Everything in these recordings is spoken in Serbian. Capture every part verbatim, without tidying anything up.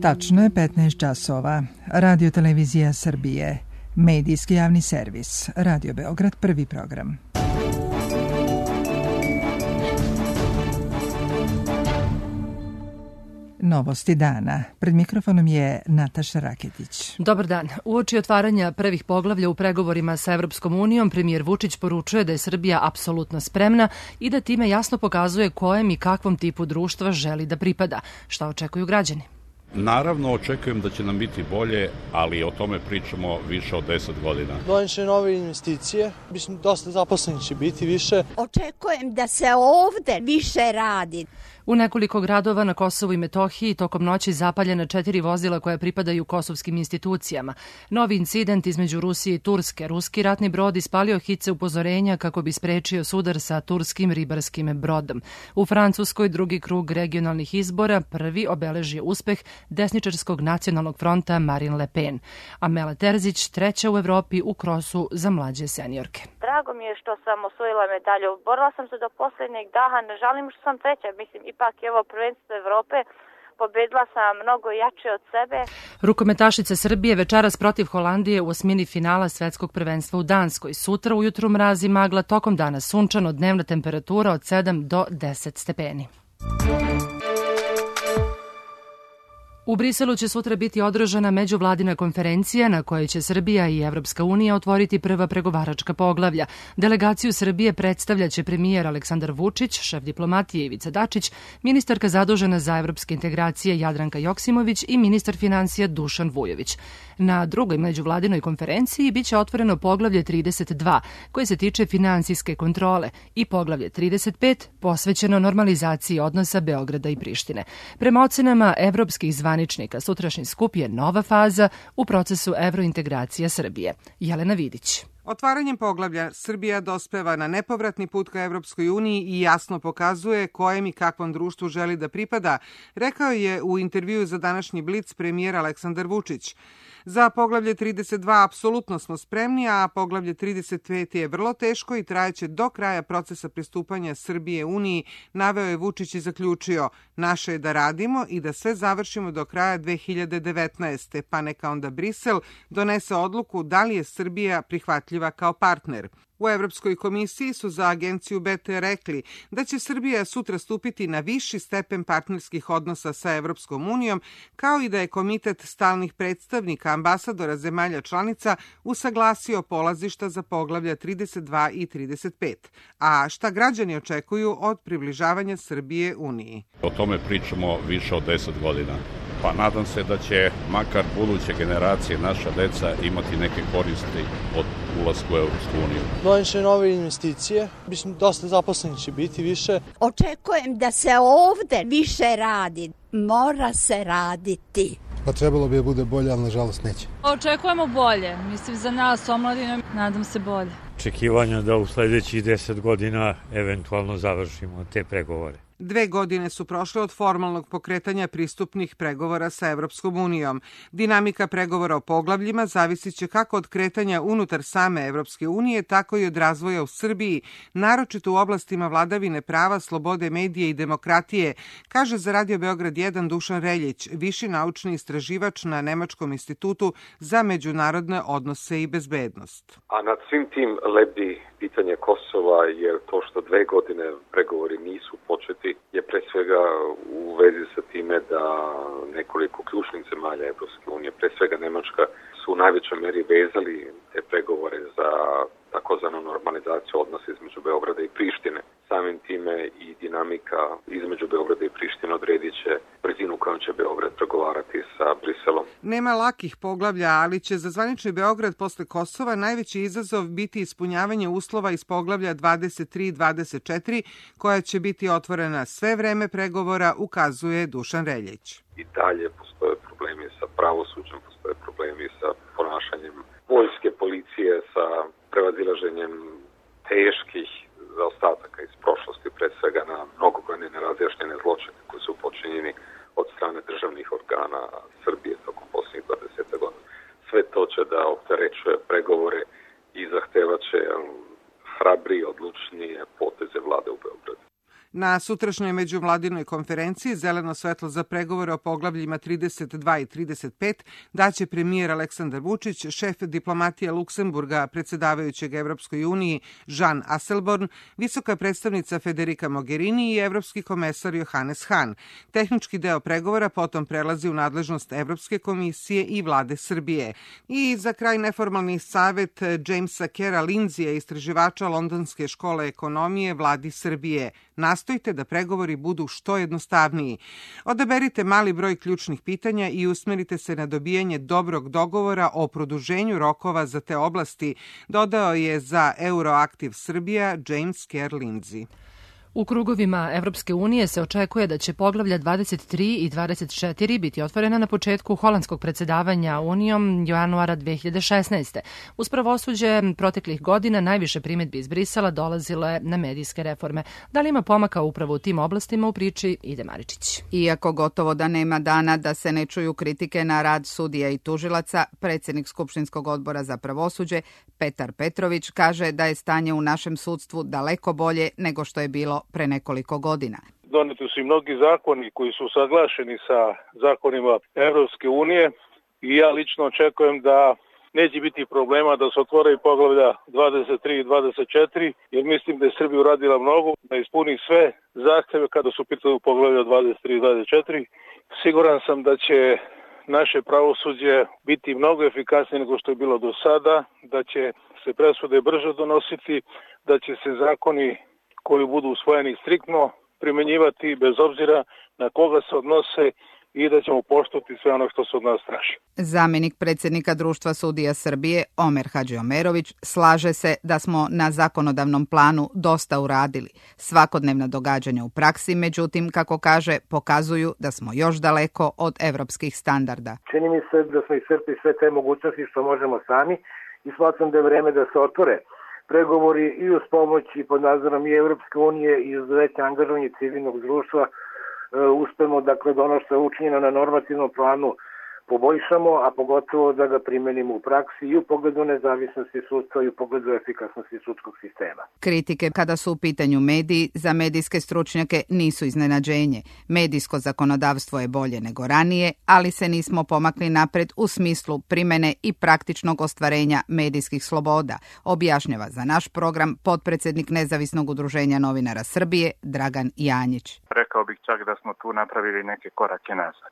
Tačno je petnaest časova. Radio Televizija Srbije. Medijski javni servis. Radio Beograd, prvi program. Novosti dana. Pred mikrofonom je Nataša Raketić. Dobar dan. Uoči otvaranja prvih poglavlja u pregovorima sa Evropskom unijom, premijer Vučić poručuje da je Srbija apsolutno spremna i da time jasno pokazuje kojem i kakvom tipu društva želi da pripada. Šta očekuju građani? Naravno, očekujem da će nam biti bolje, ali o tome pričamo više od deset godina. Doneće nove investicije, mislim, dosta zaposlenih će biti više. Očekujem da se ovde više radi. U nekoliko gradova na Kosovu i Metohiji tokom noći zapaljena četiri vozila koja pripadaju kosovskim institucijama. Novi incident između Rusije i Turske. Ruski ratni brod ispalio hice upozorenja kako bi sprečio sudar sa turskim ribarskim brodom. U Francuskoj drugi krug regionalnih izbora prvi obeležio uspeh desničarskog nacionalnog fronta Marine Le Pen. Amela Terzić treća u Evropi u krosu za mlađe seniorke. Drago mi je što sam osvojila medalju. Borila sam se do posljednjeg daha, ne žalim što sam treća, mislim ipak evo prvenstvo Evrope, pobedila sam mnogo jače od sebe. Rukometašica Srbije večeras protiv Holandije u osmini finala svetskog prvenstva u Danskoj. Sutra ujutru mraz i magla, tokom dana sunčano, dnevna temperatura od sedam do deset stepeni. U Briselu će sutra biti održana međuvladina konferencija na kojoj će Srbija i Evropska unija otvoriti prva pregovaračka poglavlja. Delegaciju Srbije predstavljaće premijer Aleksandar Vučić, šef diplomatije Ivica Dačić, ministarka zadužena za evropske integracije Jadranka Joksimović i ministar finansija Dušan Vujović. Na drugoj međuvladinoj konferenciji biće otvoreno poglavlje trideset dva, koje se tiče finansijske kontrole, i poglavlje trideset pet, posvećeno normalizaciji odnosa Beograda i Prištine. Prema ocenama evropskih zvaničnika, sutrašnji skup je nova faza u procesu evrointegracija Srbije. Jelena Vidić. Otvaranjem poglavlja Srbija dospeva na nepovratni put ka Evropskoj uniji i jasno pokazuje kojem i kakvom društvu želi da pripada, rekao je u intervjuu za današnji Blic premijer Aleksandar Vučić. Za poglavlje trideset dva apsolutno smo spremni, a poglavlje trideset pet je vrlo teško i trajeće do kraja procesa pristupanja Srbije Uniji, naveo je Vučić i zaključio: naše je da radimo i da sve završimo do kraja dve hiljade devetnaeste. pa neka onda Brisel donese odluku da li je Srbija prihvatljiva kao partner. U Evropskoj komisiji su za agenciju B T rekli da će Srbija sutra stupiti na viši stepen partnerskih odnosa sa Evropskom unijom, kao i da je komitet stalnih predstavnika ambasadora zemalja članica usaglasio polazišta za poglavlja trideset dva i trideset pet. A šta građani očekuju od približavanja Srbije Uniji? O tome pričamo više od deset godina. Pa nadam se da će makar buduće generacije, naša deca, imati neke koristi od ulaska u Evropsku uniju. Doneće nove investicije, mislim, dosta zaposlenih će biti više. Očekujem da se ovde više radi. Mora se raditi. Pa trebalo bi da bude bolje, ali nažalost neće. Očekujemo bolje. Mislim, za nas, omladinom, nadam se bolje. Očekivanja da u sledećih deset godina eventualno završimo te pregovore. Dve godine su prošle od formalnog pokretanja pristupnih pregovora sa Evropskom unijom. Dinamika pregovora o poglavljima zavisit će kako od kretanja unutar same Evropske unije, tako i od razvoja u Srbiji, naročito u oblastima vladavine prava, slobode medije i demokratije, kaže za Radio Beograd jedan Dušan Reljić, viši naučni istraživač na Nemačkom institutu za međunarodne odnose i bezbednost. A nad svim tim lebdi pitanje Kosova, jer to što dve godine pregovori nisu početi je pre svega u vezi sa time da nekoliko ključnih zemalja Evropske unije, pre svega Nemačka, su u najvećoj meri vezali te pregovore za takozvanu normalizaciju odnosa između Beograda i Prištine. Samim time i dinamika između Beograda i Prištine odredit će brzinu kojom će Beograd pregovarati sa Briselom. Nema lakih poglavlja, ali će za zvanični Beograd posle Kosova najveći izazov biti ispunjavanje uslova iz poglavlja dvadeset tri i dvadeset četiri, koja će biti otvorena sve vreme pregovora, ukazuje Dušan Reljić. I dalje postoje problemi sa pravosuđem, postoje problemi sa ponašanjem vojske, policije, sa prevazilaženjem teških zaostataka iz prošlosti, pre svega na mnogobrojne nerazjašnjene zločine koji su počinjeni od strane državnih organa Srbije tokom posljednjih dvadeset godina. Sve to će da opterećuje pregovore i zahtevaće hrabrije, odlučnije poteze vlade u Beogradu. Na sutrašnjoj međuvladinoj konferenciji zeleno svetlo za pregovore o poglavljima trideset dva i trideset pet daće premijer Aleksandar Vučić, šef diplomatije Luksemburga, predsedavajućeg Evropskoj uniji Jean Asselborn, visoka predstavnica Federica Mogherini i evropski komesar Johannes Hahn. Tehnički deo pregovora potom prelazi u nadležnost Evropske komisije i vlade Srbije. I za kraj neformalni savet Jamesa Kera Lindsija, istraživača Londonske škole ekonomije vladi Srbije. Nastojte da pregovori budu što jednostavniji. Odaberite mali broj ključnih pitanja i usmerite se na dobijanje dobrog dogovora o produženju rokova za te oblasti, dodao je za Euroaktiv Srbija James Kerr Lindsey. U krugovima Evropske unije se očekuje da će poglavlja dvadeset tri i dvadeset četiri biti otvorena na početku holandskog predsedavanja Unijom januara dve hiljade šesnaeste. Uz pravosuđe proteklih godina najviše primedbi iz Brisela dolazile na medijske reforme. Da li ima pomaka upravo u tim oblastima, u priči Ide Maričić. Iako gotovo da nema dana da se ne čuju kritike na rad sudija i tužilaca, predsjednik Skupštinskog odbora za pravosuđe Petar Petrović kaže da je stanje u našem sudstvu daleko bolje nego što je bilo pre nekoliko godina. Doneti su i mnogi zakoni koji su usaglašeni sa zakonima Evropske unije i ja lično očekujem da neće biti problema da se otvore i poglavlja dvadeset tri i dvadeset četiri, jer mislim da je Srbija uradila mnogo, da ispuni sve zahteve kada su pitali u poglavlja dvadeset tri i dvadeset četiri. Siguran sam da će naše pravosuđe biti mnogo efikasnije nego što je bilo do sada, da će se presude brže donositi, da će se zakoni koji budu usvojeni striktno primenjivati bez obzira na koga se odnose i da ćemo poštovati sve ono što se od nas traži. Zamjenik predsjednika Društva sudija Srbije Omer Hadžiomerović slaže se da smo na zakonodavnom planu dosta uradili. Svakodnevna događanja u praksi, međutim, kako kaže, pokazuju da smo još daleko od evropskih standarda. Čini mi se da smo iscrpili sve te mogućnosti što možemo sami i smatram da je vreme da se otvore pregovori i uz pomoć i pod nadzorom i Evropske unije i uz veće angažovanje civilnog društva uspemo, dakle, da ono što je učinjeno na normativnom planu poboljšamo, a pogotovo da ga primenimo u praksi i u pogledu nezavisnosti sudstva i u pogledu efikasnosti sudskog sistema. Kritike kada su u pitanju mediji za medijske stručnjake nisu iznenađenje. Medijsko zakonodavstvo je bolje nego ranije, ali se nismo pomakli napred u smislu primene i praktičnog ostvarenja medijskih sloboda, objašnjava za naš program potpredsjednik Nezavisnog udruženja novinara Srbije Dragan Janjić. Rekao bih čak da smo tu napravili neke korake nazad.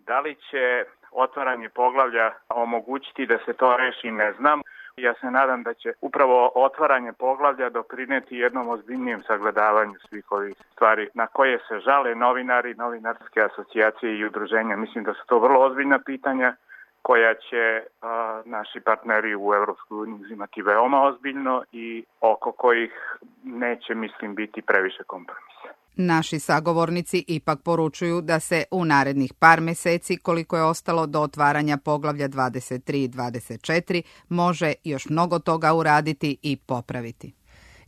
Da li će otvaranje poglavlja omogućiti da se to reši, ne znam. Ja se nadam da će upravo otvaranje poglavlja doprineti jednom ozbiljnijem sagledavanju svih ovih stvari na koje se žale novinari, novinarske asocijacije i udruženja. Mislim da su to vrlo ozbiljna pitanja koja će a, naši partneri u Evropskoj uniji uzimati veoma ozbiljno i oko kojih neće, mislim, biti previše kompromisa. Naši sagovornici ipak poručuju da se u narednih par meseci, koliko je ostalo do otvaranja poglavlja dvadeset tri i dvadeset četiri, može još mnogo toga uraditi i popraviti.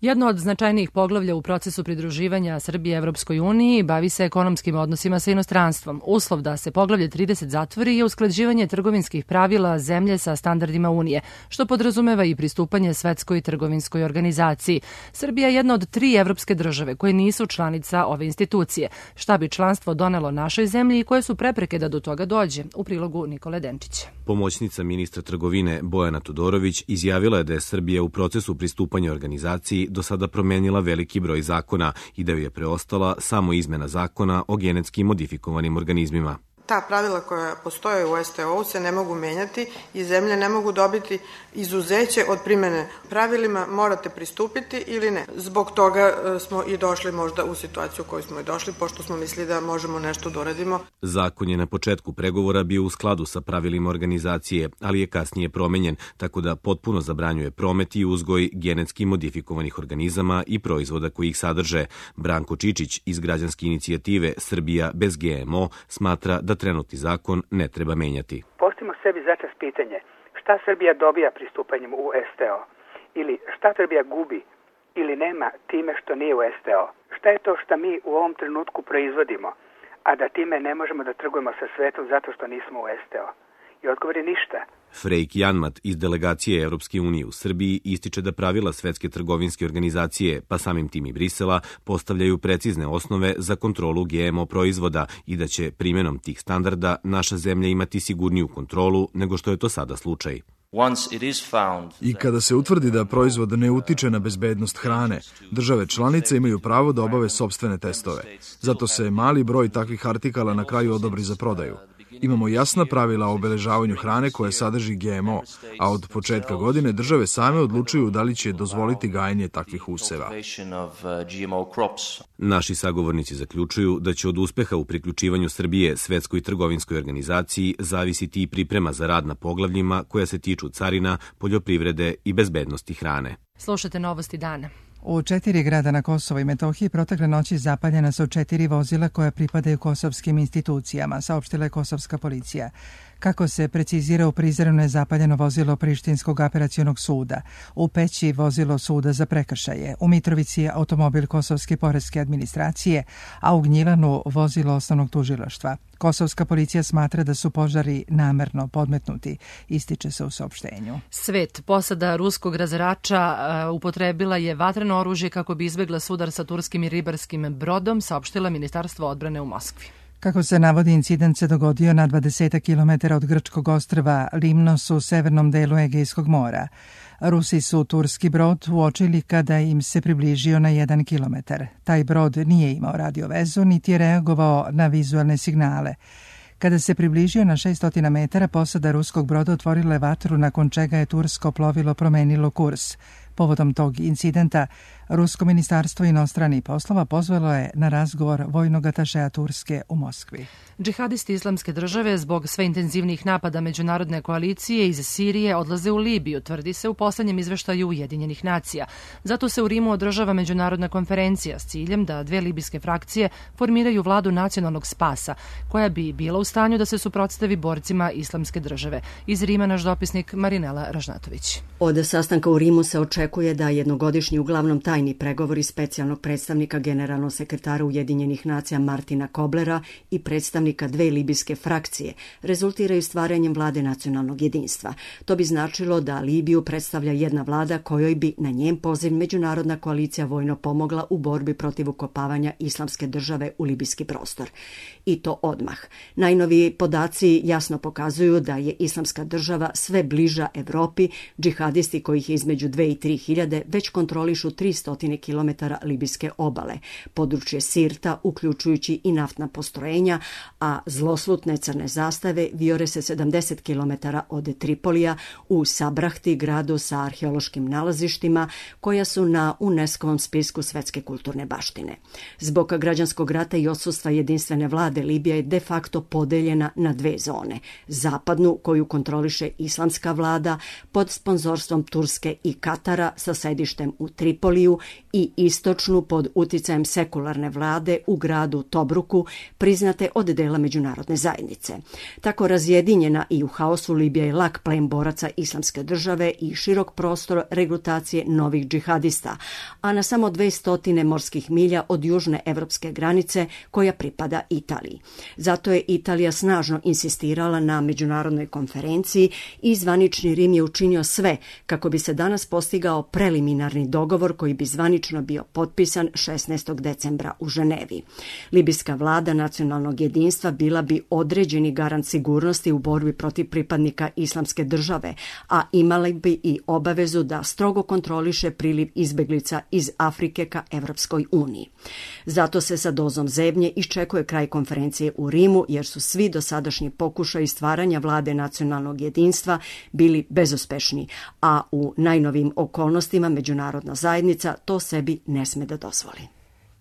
Jedno od značajnijih poglavlja u procesu pridruživanja Srbije Evropskoj uniji bavi se ekonomskim odnosima sa inostranstvom. Uslov da se poglavlje trideset zatvori je usklađivanje trgovinskih pravila zemlje sa standardima Unije, što podrazumeva i pristupanje Svetskoj trgovinskoj organizaciji. Srbija je jedna od tri evropske države koje nisu članica ove institucije. Šta bi članstvo donelo našoj zemlji i koje su prepreke da do toga dođe? U prilogu Nikole Denčića. Pomoćnica ministra trgovine Bojana Todorović izjavila je da je Srbija u procesu pristupanja organizaciji do sada promenila veliki broj zakona i da ju je preostala samo izmena zakona o genetski modifikovanim organizmima. Ta pravila koja postoje u S T O-u se ne mogu menjati i zemlje ne mogu dobiti izuzeće od primene. Pravilima morate pristupiti ili ne. Zbog toga smo i došli možda u situaciju u kojoj smo i došli, pošto smo mislili da možemo nešto da uradimo. Zakon je na početku pregovora bio u skladu sa pravilima organizacije, ali je kasnije promenjen, tako da potpuno zabranjuje promet i uzgoj genetski modifikovanih organizama i proizvoda koji ih sadrže. Branko Čičić iz građanske inicijative Srbija bez G M O smatra da trenutni zakon ne treba menjati. Postavimo sebi začas pitanje šta Srbija dobija pristupanjem u S T O ili šta Srbija gubi ili nema time što nije u S T O. Šta je to što mi u ovom trenutku proizvodimo, a da time ne možemo da trgujemo sa svetom zato što nismo u S T O? I odgovor je ništa. Freik Janmat iz delegacije Evropske unije u Srbiji ističe da pravila Svetske trgovinske organizacije, pa samim tim i Brisela, postavljaju precizne osnove za kontrolu G M O proizvoda i da će primjenom tih standarda naša zemlja imati sigurniju kontrolu nego što je to sada slučaj. I kada se utvrdi da proizvod ne utiče na bezbednost hrane, države članice imaju pravo da obave sopstvene testove. Zato se mali broj takvih artikala na kraju odobri za prodaju. Imamo jasna pravila o obeležavanju hrane koja sadrži G M O, a od početka godine države same odlučuju da li će dozvoliti gajenje takvih useva. Naši sagovornici zaključuju da će od uspeha u priključivanju Srbije Svetskoj trgovinskoj organizaciji zavisiti i priprema za rad na poglavljima koja se tiču carina, poljoprivrede i bezbednosti hrane. Slušate novosti dana. U četiri grada na Kosovo i Metohiji protekle noći zapaljena su četiri vozila koja pripadaju kosovskim institucijama, saopštila je kosovska policija. Kako se precizira, u Prizrenu je zapaljeno vozilo Prištinskog apelacionog suda, u Peći vozilo suda za prekršaje, u Mitrovici je automobil Kosovske poreske administracije, a u Gnjilanu vozilo osnovnog tužilaštva. Kosovska policija smatra da su požari namerno podmetnuti, ističe se u saopštenju. Svet, posada ruskog razarača uh, upotrebila je vatreno oružje kako bi izbegla sudar sa turskim i ribarskim brodom, saopštila Ministarstvo odbrane u Moskvi. Kako se navodi, incident se dogodio na dvadeset kilometara od grčkog ostrva Limnos u severnom delu Egejskog mora. Rusi su turski brod uočili kada im se približio na jedan kilometar. Taj brod nije imao radiovezu niti je reagovao na vizualne signale. Kada se približio na šesnaest metara, posada ruskog broda otvorila je vatru, nakon čega je tursko plovilo promenilo kurs. Povodom tog incidenta, Rusko ministarstvo inostranih poslova pozvalo je na razgovor vojnog atašeja Turske u Moskvi. Džihadisti Islamske države zbog sve intenzivnijih napada međunarodne koalicije iz Sirije odlaze u Libiju, tvrdi se u poslednjem izveštaju Ujedinjenih nacija. Zato se u Rimu održava međunarodna konferencija s ciljem da dve libijske frakcije formiraju vladu nacionalnog spasa, koja bi bila u stanju da se suprotstavi borcima Islamske države. Iz Rima naš dopisnik Marinela Ražnatović. Od sastanka u Rimu se očekuje da jednogodišnji uglavnom tajni pregovori specijalnog predstavnika generalnog sekretara Ujedinjenih nacija Martina Koblera i predstavnika dve libijske frakcije rezultiraju stvaranjem vlade nacionalnog jedinstva. To bi značilo da Libiju predstavlja jedna vlada kojoj bi na njen poziv međunarodna koalicija vojno pomogla u borbi protiv ukopavanja Islamske države u libijski prostor. I to odmah. Najnoviji podaci jasno pokazuju da je Islamska država sve bliža Evropi, džihadisti kojih je između dve i tri hiljade već kontrolišu tristo kilometara libijske obale, područje Sirta, uključujući i naftna postrojenja, a zloslutne crne zastave vijore se sedamdeset kilometara od Tripolija u Sabrahti, gradu sa arheološkim nalazištima koja su na UNESCO-vom spisku svetske kulturne baštine. Zbog građanskog rata i odsustva jedinstvene vlade, Libija je de facto podeljena na dve zone. Zapadnu, koju kontroliše islamska vlada pod sponzorstvom Turske i Katara sa sedištem u Tripoliju, i istočnu pod uticajem sekularne vlade u gradu Tobruku, priznate od dela međunarodne zajednice. Tako razjedinjena i u haosu, Libija je lak plen boraca Islamske države i širok prostor regrutacije novih džihadista, a na samo dvesta morskih milja od južne evropske granice koja pripada Italiji. Zato je Italija snažno insistirala na međunarodnoj konferenciji i zvanični Rim je učinio sve kako bi se danas postigao preliminarni dogovor koji bi zvanično bio potpisan šesnaestog decembra u Ženevi. Libijska vlada nacionalnog jedinstva bila bi određeni garant sigurnosti u borbi protiv pripadnika Islamske države, a imali bi i obavezu da strogo kontroliše priliv izbeglica iz Afrike ka Evropskoj uniji. Zato se sa dozom zebnje iščekuje kraj konferencije u Rimu, jer su svi dosadašnji pokušaji stvaranja vlade nacionalnog jedinstva bili bezuspešni, a u najnovim okolnostima međunarodna zajednica to sebi ne sme da dozvoli.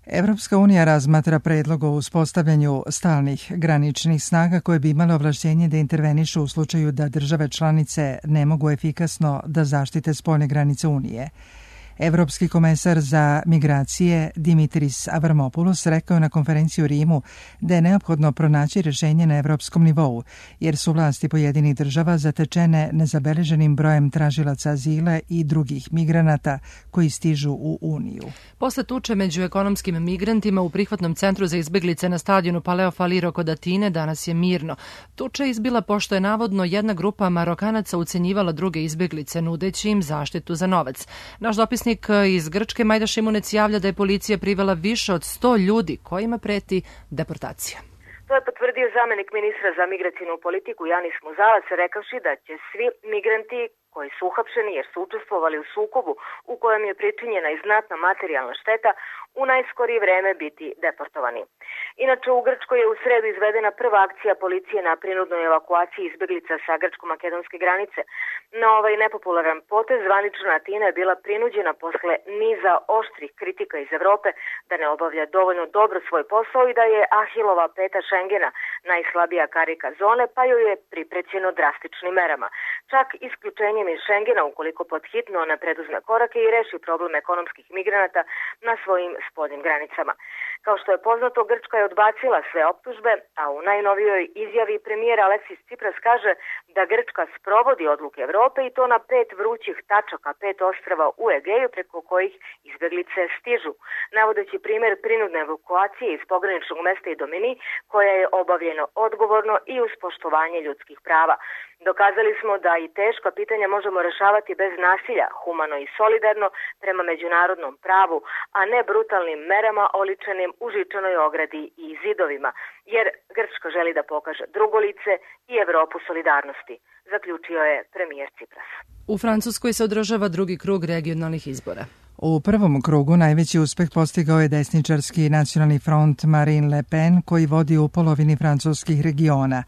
Evropska unija razmatra predlog o uspostavljanju stalnih graničnih snaga koje bi imale ovlašćenje da intervenišu u slučaju da države članice ne mogu efikasno da zaštite spoljne granice Unije. Evropski komesar za migracije Dimitris Avramopoulos rekao je na konferenciji u Rimu da je neophodno pronaći rješenje na evropskom nivou, jer su vlasti pojedinih država zatečene nezabeleženim brojem tražilaca azila i drugih migranata koji stižu u Uniju. Posle tuče među ekonomskim migrantima u prihvatnom centru za izbeglice na stadionu Paleo Faliro kod Atine danas je mirno. Tuča je izbila pošto je navodno jedna grupa Marokanaca ucenjivala druge izbeglice nudeći im zaštitu za novac. Naš dopisnik iz Grčke Majda Šimunec javlja da je policija privela više od sto ljudi kojima preti deportacija. To je potvrdio zamenik ministra za migracijnu politiku Janis Muzalac, rekavši da će svi migranti koji su uhapšeni jer su učestvovali u sukobu u kojem je pričinjena i znatna materijalna šteta u najskorije vreme biti deportovani. Inače, u Grčkoj je u sredu izvedena prva akcija policije na prinudnoj evakuaciji izbeglica sa grčko-makedonske granice. Na ovaj nepopularan potez zvanična Atina je bila prinuđena posle niza oštrih kritika iz Evrope da ne obavlja dovoljno dobro svoj posao i da je Ahilova peta Šengena najslabija karika zone, pa joj je priprećeno drastičnim merama. Čak isključenjem iz Šengena ukoliko podhitno ne preduzme korake i reši problem ekonomskih migranata na svojim spoljnim granicama. Kao što je poznato, Grčka je odbacila sve optužbe, a u najnovijoj izjavi premijer Aleksis Tsipras kaže da Grčka sprovodi odluke Evrope i to na pet vrućih tačaka, pet ostrava u Egeju preko kojih izbeglice stižu, navodeći primjer prinudne evakuacije iz pograničnog mesta Idomeni, koja je obavljeno odgovorno i uz poštovanje ljudskih prava. Dokazali smo da i teška pitanja možemo rešavati bez nasilja, humano i solidarno prema međunarodnom pravu, a ne brutalnim merama oličenim u žičanoj ogradi i zidovima, jer Grčka želi da pokaže drugo lice i Evropu solidarnosti, zaključio je premijer Tsipras. U Francuskoj se održava drugi krug regionalnih izbora. U prvom krugu najveći uspeh postigao je desničarski nacionalni front Marine Le Pen, koji vodi u polovini francuskih regiona.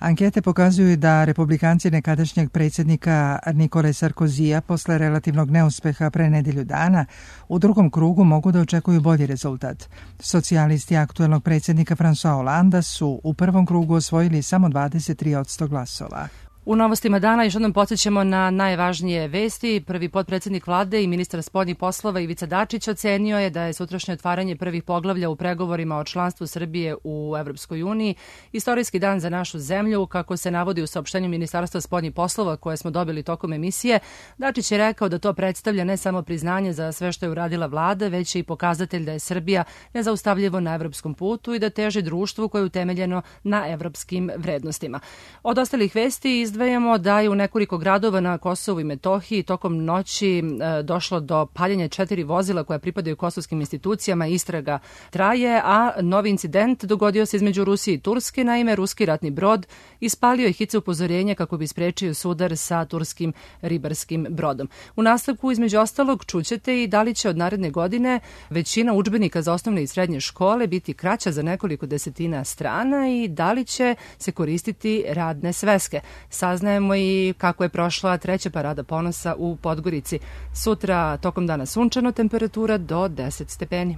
Ankete pokazuju da republikanci nekadašnjeg predsjednika Nikole Sarkozija posle relativnog neuspeha pre nedelju dana u drugom krugu mogu da očekuju bolji rezultat. Socijalisti aktuelnog predsjednika François Hollanda su u prvom krugu osvojili samo dvadeset tri posto glasova. U novostima dana još jednom podsjećamo na najvažnije vesti. Prvi potpredsjednik vlade i ministar spoljnih poslova Ivica Dačić ocenio je da je sutrašnje otvaranje prvih poglavlja u pregovorima o članstvu Srbije u Evropskoj uniji istorijski dan za našu zemlju, kako se navodi u saopštenju Ministarstva spoljnih poslova koje smo dobili tokom emisije. Dačić je rekao da to predstavlja ne samo priznanje za sve što je uradila vlada, već i pokazatelj da je Srbija nezaustavljivo na evropskom putu i da teži društvu koje je utemeljeno na evropskim vrednostima. Od ostalih vesti izdvajamo da je u nekoliko gradova na Kosovu i Metohiji tokom noći e, došlo do paljenja četiri vozila koja pripadaju kosovskim institucijama, istraga traje, a novi incident dogodio se između Rusije i Turske. Naime, ruski ratni brod ispalio je hice upozorenja kako bi sprečio sudar sa turskim ribarskim brodom. U nastavku, između ostalog, čućete i da li će od naredne godine većina udžbenika za osnovne i srednje škole biti kraća za nekoliko desetina strana i da li će se koristiti radne sveske. Saznajemo i kako je prošla treća parada ponosa u Podgorici. Sutra tokom dana sunčano, temperatura do deset stepeni.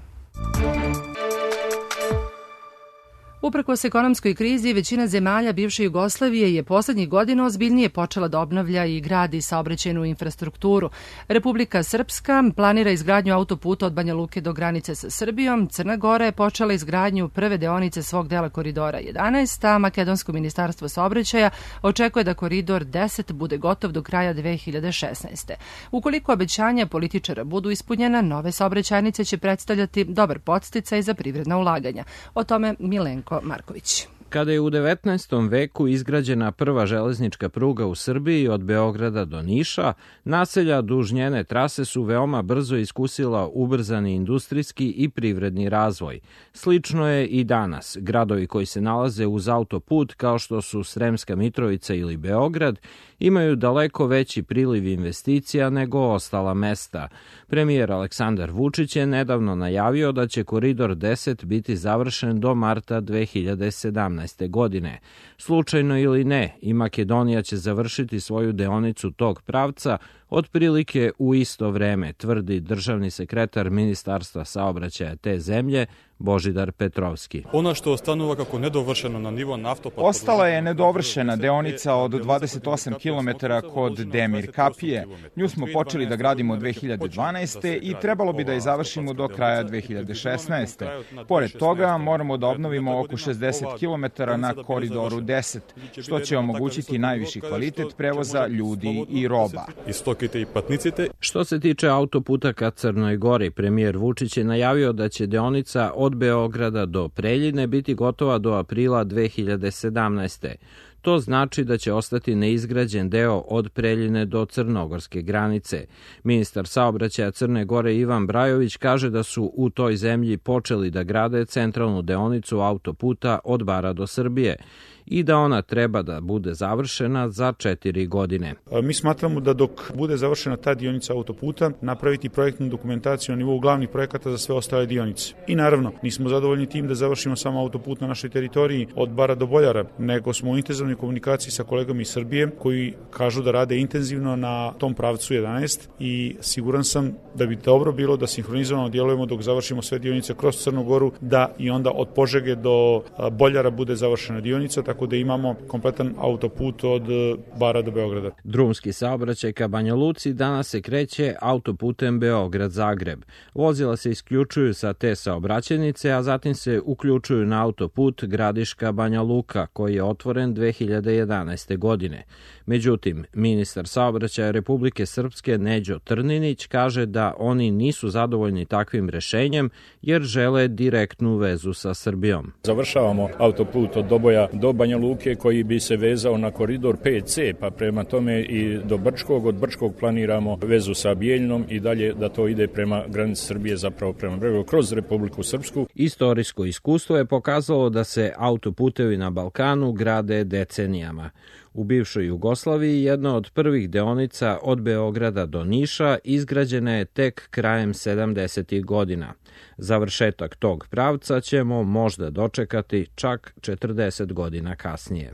Uprkos ekonomskoj krizi, većina zemalja bivše Jugoslavije je poslednjih godina ozbiljnije počela da obnavlja i gradi saobraćajnu infrastrukturu. Republika Srpska planira izgradnju autoputa od Banja Luke do granice sa Srbijom. Crna Gora je počela izgradnju prve deonice svog dela koridora jedanaest, a Makedonsko ministarstvo saobraćaja očekuje da koridor deset bude gotov do kraja dve hiljade šesnaeste. Ukoliko obećanja političara budu ispunjena, nove saobraćajnice će predstavljati dobar podsticaj za privredna ulaganja. O tome Milenko Marković. Kada je u devetnaestom veku izgrađena prva železnička pruga u Srbiji od Beograda do Niša, naselja duž njene trase su veoma brzo iskusila ubrzani industrijski i privredni razvoj. Slično je i danas. Gradovi koji se nalaze uz autoput, kao što su Sremska Mitrovica ili Beograd, imaju daleko veći priliv investicija nego ostala mesta. Premijer Aleksandar Vučić je nedavno najavio da će koridor deset biti završen do marta dve hiljade sedamnaeste. godine. Slučajno ili ne, i Makedonija će završiti svoju deonicu tog pravca otprilike u isto vreme, tvrdi državni sekretar Ministarstva saobraćaja te zemlje Božidar Petrovski. Ono što ostanuva kako nedovršeno na nivo naftopad... Ostala je nedovršena deonica od dvadeset osam kilometara kod Demir Kapije. Nju smo počeli da gradimo dve hiljade dvanaeste. i trebalo bi da je završimo do kraja dve hiljade šesnaeste. Pored toga moramo da obnovimo oko šezdeset kilometara na koridoru deset, što će omogućiti najviši kvalitet prevoza ljudi i roba. Što se tiče autoputa ka Crnoj Gori, premijer Vučić je najavio da će deonica od Beograda do Preljine biti gotova do aprila dve hiljade sedamnaeste. To znači da će ostati neizgrađen deo od Preljine do crnogorske granice. Ministar saobraćaja Crne Gore Ivan Brajović kaže da su u toj zemlji počeli da grade centralnu deonicu autoputa od Bara do Srbije i da ona treba da bude završena za četiri godine. Mi smatramo da dok bude završena ta dionica autoputa, napraviti projektnu dokumentaciju na nivou glavnih projekata za sve ostale dionice. I naravno, nismo zadovoljni tim da završimo samo autoput na našoj teritoriji od Bara do Boljara, nego smo u intenzivnoj komunikaciji sa kolegama iz Srbije koji kažu da rade intenzivno na tom pravcu jedanaest i siguran sam da bi dobro bilo da sinhronizovano djelujemo dok završimo sve dionice kroz Crnu Goru, da i onda od Požege do Boljara bude završena dionica, tako da imamo kompletan autoput od Bara do Beograda. Drumski saobraćaj ka Banja Luci danas se kreće autoputem Beograd-Zagreb. Vozila se isključuju sa te saobraćajnice, a zatim se uključuju na autoput Gradiška-Banja Luka, koji je otvoren dve hiljade jedanaeste. godine. Međutim, ministar saobraćaja Republike Srpske Neđo Trninić kaže da oni nisu zadovoljni takvim rešenjem jer žele direktnu vezu sa Srbijom. Završavamo autoput od Doboja do Banja Luke koji bi se vezao na koridor pet ce, pa prema tome i do Brčkog. Od Brčkog planiramo vezu sa Bijeljnom i dalje da to ide prema granici Srbije, zapravo prema bregu, kroz Republiku Srpsku. Istorijsko iskustvo je pokazalo da se autoputevi na Balkanu grade decenijama. U bivšoj Jugoslaviji jedna od prvih deonica od Beograda do Niša izgrađena je tek krajem sedamdesetih godina. Završetak tog pravca ćemo možda dočekati čak četrdeset godina kasnije.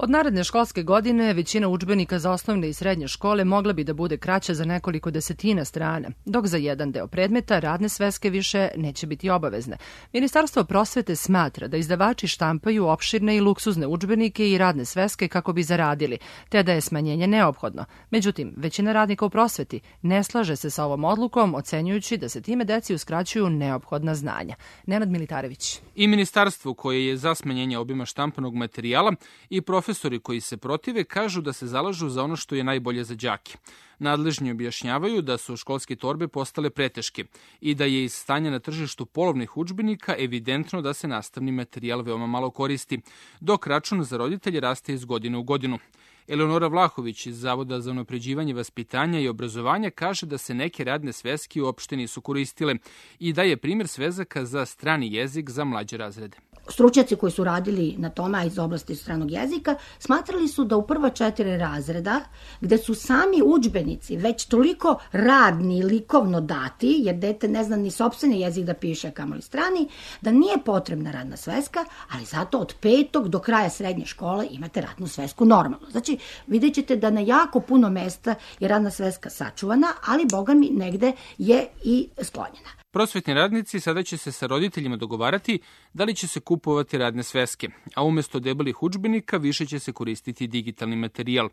Od naredne školske godine većina udžbenika za osnovne i srednje škole mogla bi da bude kraća za nekoliko desetina strana, dok za jedan deo predmeta radne sveske više neće biti obavezne. Ministarstvo prosvete smatra da izdavači štampaju opširne i luksuzne udžbenike i radne sveske kako bi zaradili, te da je smanjenje neophodno. Međutim, većina radnika u prosveti ne slaže se sa ovom odlukom, ocenjujući da se time deci uskraćuju neophodna znanja. Nenad Militarević. I ministarstvo koje je za smanjenje obima štampanog materijala i prof Profesori koji se protive kažu da se zalažu za ono što je najbolje za đake. Nadležni objašnjavaju da su školske torbe postale preteške i da je iz stanja na tržištu polovnih udžbenika evidentno da se nastavni materijal veoma malo koristi, dok račun za roditelje raste iz godine u godinu. Eleonora Vlahović iz Zavoda za unapređivanje vaspitanja i obrazovanja kaže da se neke radne sveske uopšte nisu koristile i da je primjer svezaka za strani jezik za mlađe razrede. Stručnjaci koji su radili na tome, a iz oblasti stranog jezika, smatrali su da u prva četiri razreda, gde su sami udžbenici već toliko radni i likovno dati, jer dete ne zna ni sopstveni jezik da piše, kamoli strani, da nije potrebna radna sveska, ali zato od petog do kraja srednje škole imate radnu svesku normalno. Znači, vidjet ćete da na jako puno mesta je radna sveska sačuvana, ali, boga mi, negde je i sklonjena. Prosvetni radnici sada će se sa roditeljima dogovarati da li će se kupovati radne sveske, a umjesto debelih udžbenika više će se koristiti digitalni materijal.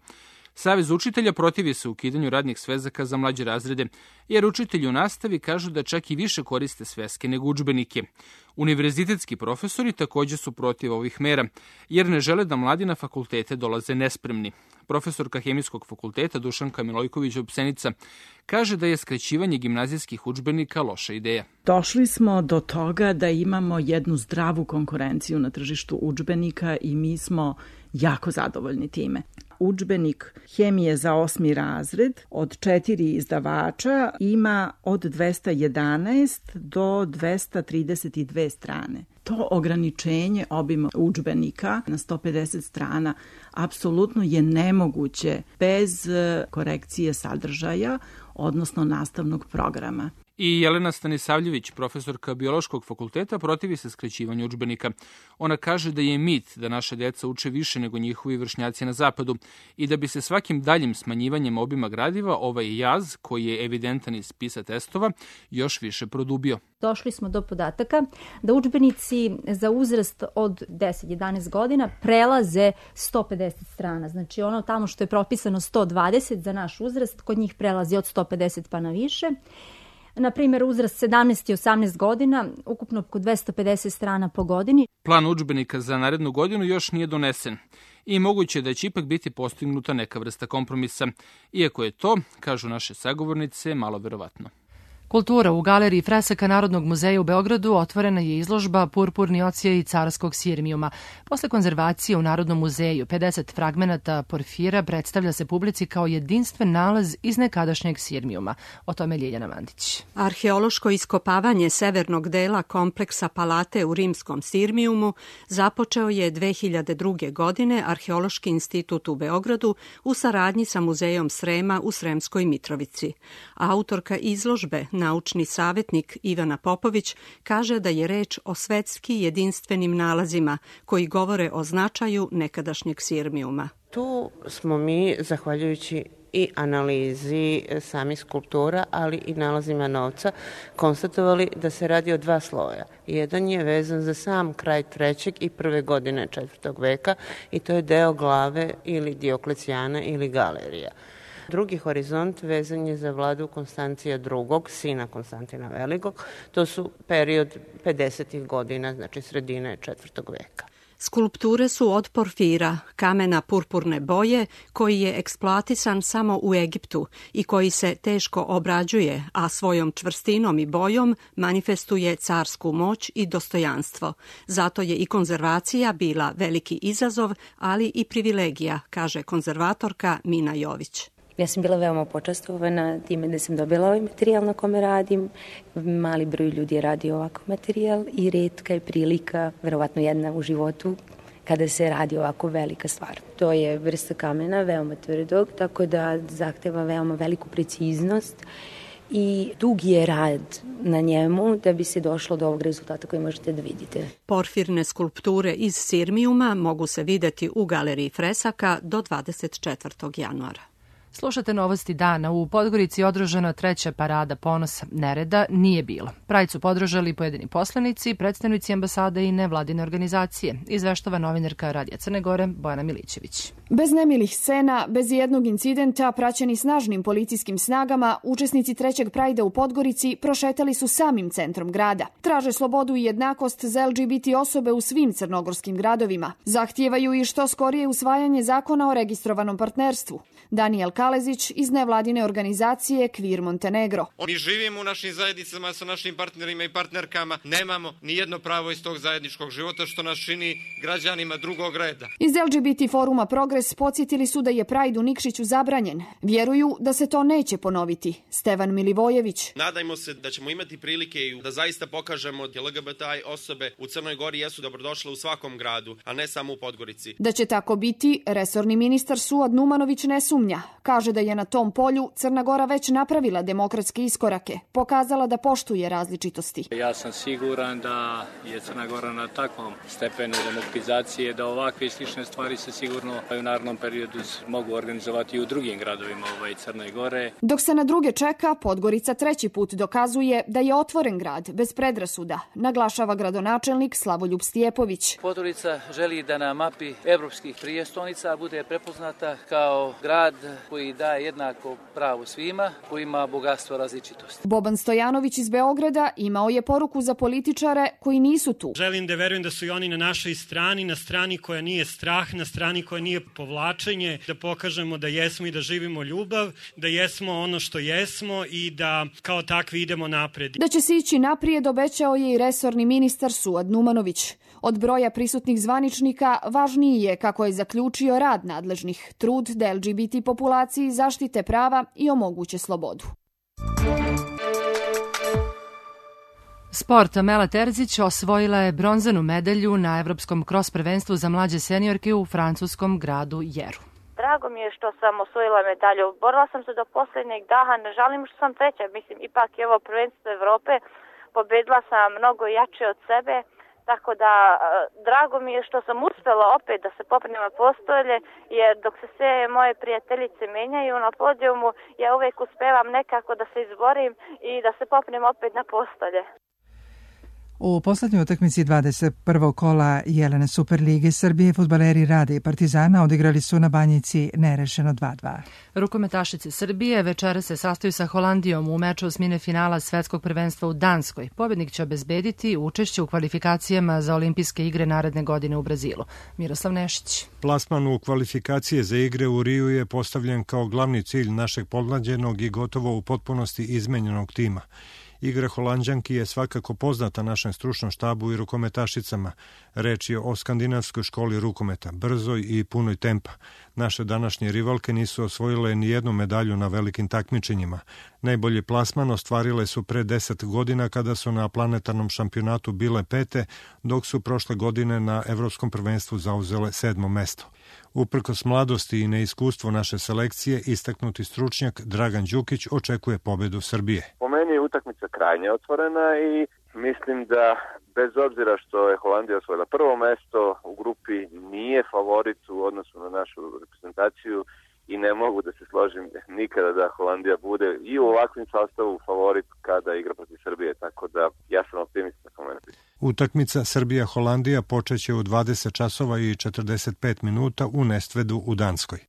Savez učitelja protivi se ukidanju radnih svezaka za mlađe razrede, jer učitelji u nastavi kažu da čak i više koriste sveske nego udžbenike. Univerzitetski profesori također su protiv ovih mera, jer ne žele da mladi na fakultete dolaze nespremni. Profesorka Hemijskog fakulteta Dušanka Milojković-Opsenica kaže da je skraćivanje gimnazijskih udžbenika loša ideja. Došli smo do toga da imamo jednu zdravu konkurenciju na tržištu udžbenika i mi smo jako zadovoljni time. Udžbenik hemije za osmi razred od četiri izdavača ima od dvesta jedanaest do dvesta trideset dve strane. To ograničenje obima udžbenika na sto pedeset strana apsolutno je nemoguće bez korekcije sadržaja, odnosno nastavnog programa. I Jelena Stanisavljević, profesorka Biološkog fakulteta, protivi se skraćivanju udžbenika. Ona kaže da je mit da naša deca uče više nego njihovi vršnjaci na zapadu i da bi se svakim daljim smanjivanjem obima gradiva ovaj jaz, koji je evidentan iz spisa testova, još više produbio. Došli smo do podataka da udžbenici za uzrast od deset do jedanaest godina prelaze sto pedeset strana. Znači ono tamo što je propisano sto dvadeset za naš uzrast, kod njih prelazi od sto pedeset pa na više. Na primjer, uzrast sedamnaest i osamnaest godina, ukupno oko dvesta pedeset strana po godini. Plan udžbenika za narednu godinu još nije donesen i moguće da će ipak biti postignuta neka vrsta kompromisa, iako je to, kažu naše sagovornice, malo verovatno. Kultura. U galeriji fresaka Narodnog muzeja u Beogradu otvorena je izložba Purpurni ocijaj carskog sirmijuma. Posle konzervacije u Narodnom muzeju pedeset fragmenata porfira predstavlja se publici kao jedinstven nalaz iz nekadašnjeg sirmijuma. O tome Ljiljana Mandić. Arheološko iskopavanje severnog dela kompleksa Palate u rimskom sirmijumu započeo je dve hiljade druge. godine Arheološki institut u Beogradu u saradnji sa Muzejom Srema u Sremskoj Mitrovici. Autorka izložbe, naučni savjetnik Ivana Popović, kaže da je reč o svetski jedinstvenim nalazima koji govore o značaju nekadašnjeg sirmijuma. Tu smo mi, zahvaljujući i analizi samih skulptura, ali i nalazima novca, konstatovali da se radi o dva sloja. Jedan je vezan za sam kraj trećeg i prve godine četvrtog veka i to je deo glave ili Dioklecijana ili galerija. Drugi horizont vezan je za vladu Konstancija drugog, sina Konstantina Velikog. To su period pedesetih godina, znači sredine četvrtog veka. Skulpture su od porfira, kamena purpurne boje, koji je eksploatisan samo u Egiptu i koji se teško obrađuje, a svojom čvrstinom i bojom manifestuje carsku moć i dostojanstvo. Zato je i konzervacija bila veliki izazov, ali i privilegija, kaže konzervatorka Mina Jović. Ja sam bila veoma počastovana time da sam dobila ovaj materijal na kome radim. Mali broj ljudi je radio ovakav materijal i retka je prilika, verovatno jedna u životu, kada se radi ovako velika stvar. To je vrsta kamena, veoma tvrdog, tako da zahteva veoma veliku preciznost i dug je rad na njemu da bi se došlo do ovog rezultata koji možete da vidite. Porfirne skulpture iz sirmijuma mogu se videti u galeriji fresaka do dvadeset četvrtog januara. Slušate novosti dana. U Podgorici je održana treća parada ponosa. Nereda nije bilo. Pride su podržali pojedini poslanici, predstavnici ambasade i nevladine organizacije. Izveštava novinarka Radija Crne Gore Bojana Milićević. Bez nemilih scena, bez jednog incidenta, praćeni snažnim policijskim snagama, učesnici trećeg Prajda u Podgorici prošetali su samim centrom grada. Traže slobodu i jednakost za L G B T osobe u svim crnogorskim gradovima. Zahtijevaju i što skorije usvajanje zakona o registrovanom partnerstvu. Daniel Kalezić iz nevladine organizacije Queer Montenegro. Mi živimo u našim zajednicama sa našim partnerima i partnerkama, nemamo ni jedno pravo iz tog zajedničkog života što nas čini građanima drugog reda. Iz L G B T foruma Progres podsjetili su da je Pride u Nikšiću zabranjen. Vjeruju da se to neće ponoviti. Stevan Milivojević. Nadajmo se da ćemo imati prilike i da zaista pokažemo da L G B T osobe u Crnoj Gori jesu dobrodošle u svakom gradu, a ne samo u Podgorici. Da će tako biti, resorni ministar Suad Numanović ne sumnja. Kaže da je na tom polju Crna Gora već napravila demokratske iskorake, pokazala da poštuje različitosti. Ja sam siguran da je Crna Gora na takvom stepenu demokratizacije da ovakve slične stvari se sigurno u narednom periodu mogu organizovati i u drugim gradovima ovaj Crne Gore. Dok se na druge čeka, Podgorica treći put dokazuje da je otvoren grad bez predrasuda, naglašava gradonačelnik Slavoljub Stijepović. Podgorica želi da na mapi evropskih prijestolnica bude prepoznata kao grad koji daje jednako pravo svima, koji ima bogatstvo različitosti. Boban Stojanović iz Beograda imao je poruku za političare koji nisu tu. Želim da verujem da su i oni na našoj strani, na strani koja nije strah, na strani koja nije povlačenje, da pokažemo da jesmo i da živimo ljubav, da jesmo ono što jesmo i da kao takvi idemo napred. Da će se ići naprijed obećao je i resorni ministar Suad Numanović. Od broja prisutnih zvaničnika važniji je, kako je zaključio, rad nadležnih, trud da L G B T populaciji zaštite prava i omoguće slobodu. Sport. Mela Terzić osvojila je bronzanu medalju na Evropskom kros prvenstvu za mlađe seniorke u francuskom gradu Jeru. drago mi je što sam osvojila medalju. Borila sam se do posljednjeg daha, ne žalim što sam treća. Mislim, ipak je ovo prvenstvo Evrope. Pobedila sam mnogo jače od sebe. Tako da, drago mi je što sam uspela opet da se popnem na postolje, jer dok se sve moje prijateljice menjaju na podijumu, ja uvijek uspevam nekako da se izborim i da se popnem opet na postolje. U poslednjoj utakmici dvadeset prvog kola Jelene Superlige Srbije fudbaleri Rade i Partizana odigrali su na Banjici nerešeno dva dva. Rukometašice Srbije večera se sastaju sa Holandijom u meču osmine finala Svetskog prvenstva u Danskoj. Pobednik će obezbediti učešće u kvalifikacijama za olimpijske igre naredne godine u Brazilu. Miroslav Nešić. Plasman u kvalifikacije za igre u Riju je postavljen kao glavni cilj našeg podmlađenog i gotovo u potpunosti izmenjenog tima. Igra Holanđanki je svakako poznata našem stručnom štabu i rukometašicama. Reč je o skandinavskoj školi rukometa, brzoj i punoj tempa. Naše današnje rivalke nisu osvojile ni jednu medalju na velikim takmičenjima. Najbolji plasman ostvarile su pre deset godina kada su na planetarnom šampionatu bile pete, dok su prošle godine na Evropskom prvenstvu zauzele sedmo mesto. Uprkos mladosti i neiskustvu naše selekcije, istaknuti stručnjak Dragan Đukić očekuje pobedu Srbije. Po meni je utakmica krajnje otvorena i mislim da bez obzira što je Holandija osvojila prvo mesto u grupi, nije favorit u odnosu na našu reprezentaciju i ne mogu da se složim nikada da Holandija bude i u ovakvim sastavu favorit kada igra protiv Srbije, tako da ja sam optimista. Utakmica Srbija-Holandija počeće u dvadeset časova i četrdeset pet minuta u Nestvedu u Danskoj.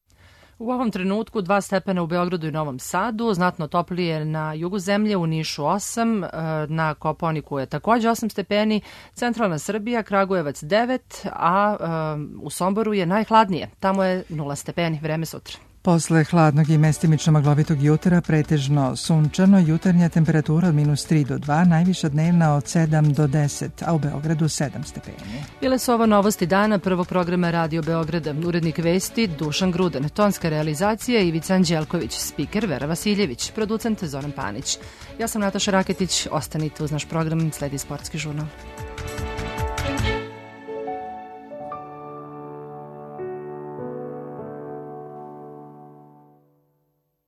U ovom trenutku dva stepena u Beogradu i Novom Sadu, znatno toplije na jugu zemlje, u Nišu osam, na Kopaoniku je također osam stepeni, centralna Srbija, Kragujevac devet, a u Somboru je najhladnije, tamo je nula stepeni, vreme sutra. Posle hladnog i mestimično maglovitog jutra, pretežno sunčano, jutarnja temperatura od minus tri do dva, najviša dnevna od sedam do deset, a u Beogradu sedam stepeni. Bile su ovo novosti dana prvog programa Radio Beograda. Urednik vesti Dušan Grudan, tonska realizacija Ivica Anđelković, spiker Vera Vasiljević, producent Zoran Panić. Ja sam Nataša Raketić, ostanite uz naš program, sledi sportski žurnal.